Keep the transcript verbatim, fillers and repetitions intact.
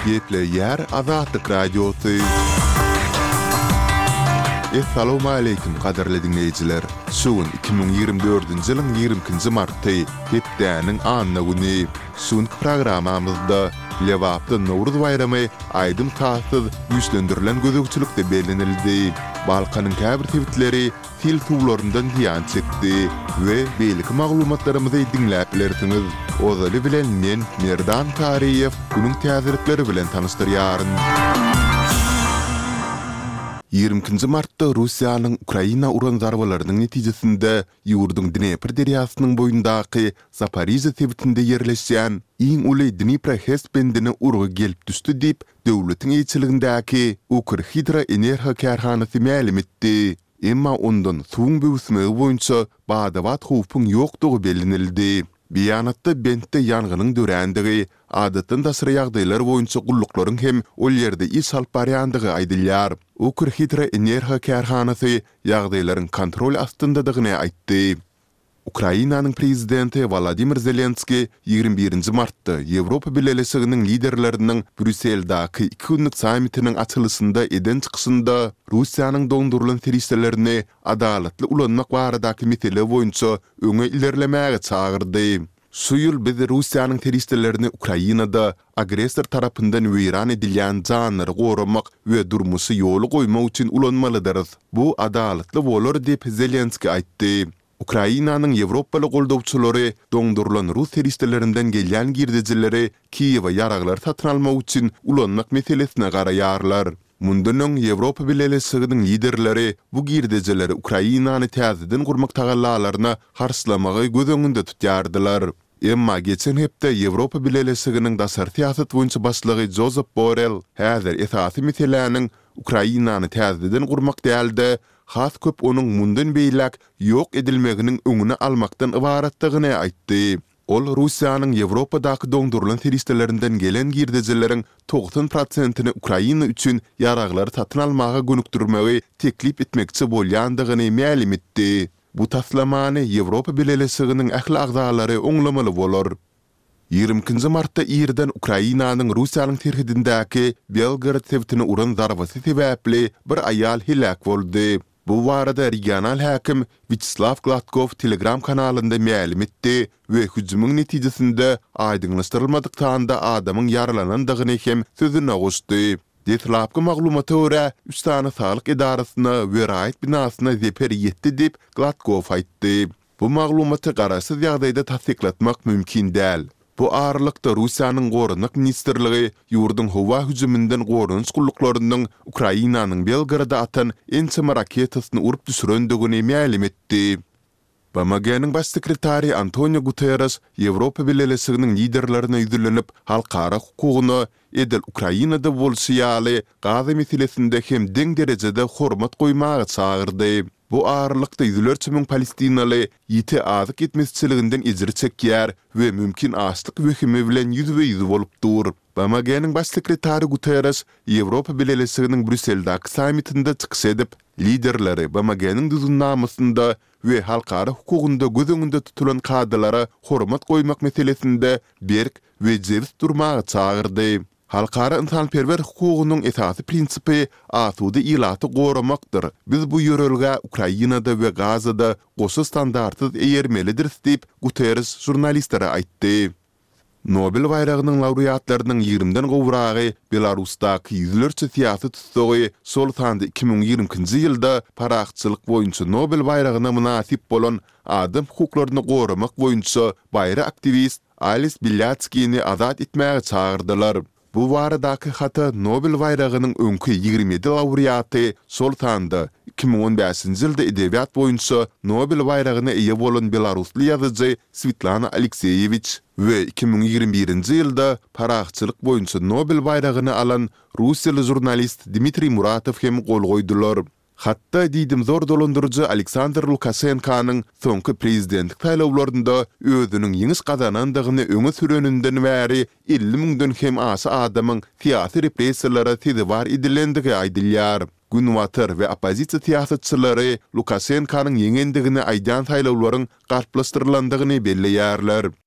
Gepleýär Azatlyk Radiosy. Essalawmaleýkim gadyrly diňleýjiler! Şu gün iki müň ýigrimi dördünji ýylyň ýigrimi ikinji marty, hepdäniň anna güni. Şu günki programmamyzda Lebapda Nowruz baýramy aýdym-sazsyz güýçlendirilen gözegçilikde bellenildi. Balkanyň käbir sebitleri sil suwlaryndan zyýan çekdi we beýleki maglumatlarymyzy diňläp bilersiňiz. Ozaly bilen men, Merdan Taryýew, günüň täzelikleri bilen tanyşdyrýaryn. Ýigrimi ikinji martda Russiýanyň Ukraina uran zarbalarynyň netijesinde ýurduň Dnepr derýasynyň boýundaky Zaporižýa sebitinde ýerleşýän iň uly Dnipro-HES bendine urgy gelip düşdi diýip, döwletiň eýeçiligindäki Ukrhidroenergo kärhanasy mälim etdi. Emma ondan suwuň böwüsmegi boýunça bada-bat howpuň ýokdugy bellenildi. Beýanatda bentde ýangynyň dörändigi, adatdan daşary ýagdaýlar boýunça gulluklaryň hem ol ýerde iş alyp barýandygy aýdylýar. Ukrhidroenergo kärhanasy ýagdaýlaryň kontrol astyndadygyny aýtdy. Ukrainanyň prezidenti Wolodymyr Zelenskiý ýigrimi birinji martda Ýewropa Bileleşiginiň liderleriniň Brýusseldäki iki günlük sammitiniň açylyşynda eden çykyşynda Russiýanyň doňdurylan serişdelerini adalatly ulanmak baradaky mesele boýunça öňe ilerlemäge çagyrdy. Şu ýyl biz Russiýanyň serişdelerini Ukrainada agressor tarapyndan weýran edilýän janlary goramak we durmuşy ýola goýmak üçin ulanmalydyrys. Bu adalatly bolar diýip, Zelenskiý aýtdy. Ukrainanyň ýewropaly goldawçylary doňdurylan rus serişdelerinden gelýän girdejileri Kiýewe ýaraglar satyn almak üçin ulanmak meselesine garaýarlar. Mundan öň Ýewropa Bileleşiginiň liderleri bu girdejileri Ukrainany täzeden gurmak tagallalaryna harçlamagy göz öňünde tutýardylar. Emma geçen hepde Ýewropa Bileleşiginiň daşary syýasat boýunça başlygy Jozep Borrell häzir esasy meseläniň Ukrainany täzeden gurmak däl-de, has köp onuň mundan beýläk ýok edilmeginiň öňüni almakdan ybaratdygyny aýtdy. Ol Russiýanyň Ýewropadaky doňdurylan serişdelerinden gelen girdejileriň togsan prosentini Ukraina üçin ýaraglary satyn almaga gönükdirmegi teklip etmekçi bolýandygyny mälim etdi. Bu taslamany Ýewropa Bileleşiginiň ähli agzalary oňlamaly bolar. Ýigrimi ikinji martda irden Ukrainanyň Russiýanyň serhedindäki Belgorod sebitine uran zarbasy sebäpli bir aýal heläk boldy. Bu barada regional häkim Wýaçeslaw Gladkow Telegram kanalynda mälim etdi we hüjümiň netijesinde aýdyňlaşdyrylmadyk sanda adamyň ýaralanandygyny hem sözüne goşdy. Deslapky maglumata görä, üç sany saglyk edarasyna we raýat binasyna zeper ýetdi diýip, Gladkow aýtdy. Bu maglumaty garaşsyz ýagdaýda tassyklatmak mümkin däl. Bu aralykda, Russiýanyň Goranmak ministrligi ýurduň howa hüjüminden goranyş gulluklarynyň Ukrainanyň Belgoroda atan ençeme raketasyny urup düşürendigini mälim etdi. BMG-niň Baş sekretary Antonio Guterreş Ýewropa Bileleşiginiň liderlerine ýüzlenip, halkara hukugyna edil Ukrainada bolşy ýaly, Gaza meselesinde hem deň derejede hormat goýmaga çagyrdy. Bu aralykda ýüzlerçe müň palestinaly ýiti azyk ýetmezçiliginden ejir çekýär we mümkin açlyk wehimi bilen ýüzbe-ýüz bolup dur. BMG-niň Baş sekretary Guterreş Ýewropa Bileleşiginiň Brýusseldäki sammitinde çykyş edip, liderleri BMG-niň Düzgünnamasynda we halkara hukugynda göz öňünde tutulan kadalara hormat goýmak meselesinde berk we jebis durmaga çagyrdy. Halkara ynsanperwer hukugynyň esasy prinsipi asuda ilaty goramakdyr, biz bu ýörelgä Ukrainada we Gazada goşa standartsyz eýermelidiris diýip, Guterres žurnalistlere aýtdy. Nobel baýragynyň laureatlarynyň ýigrimiden gowragy Belarusdaky ýüzlerçe syýasy tussagy, şol sanda iki müň ýigrimi ikinji ýylda parahatçylyk boýunça Nobel baýragyna mynasyp bolan adam hukuklaryny goramak boýunça baýry aktiwist Ales Belýatskini azat etmäge çagyrdylar. Bu baradaky hata Nobel baýragynyň öňki ýigrimi ýedi laureaty, şol sanda iki müň on bäşinji ýylda edebiýat boýunça Nobel baýragyna eýe bolan belarusly ýazyjy Swetlana Alekseýewiç we iki müň ýigrimi birinji ýylda parahatçylyk boýunça Nobel baýragyny alan russiýaly žurnalist Dmitriý Muratow hem gol goýdular. Hatda diýdimzor dolandyryjy Aleksandr Lukaşenkanyň soňky prezidentlik saýlawlarynda özüniň ýeňiş gazanandygyny öňe süreninden bäri elli müňden hem aşa adamyň syýasy repressiýalara sezewar edilendigi aýdylýar. Günbatar we oppozisiýa syýasatçylary Lukaşenkanyň ýeňendigini aýdýan saýlawlaryň galplaşdyrylandygyny belleýärler.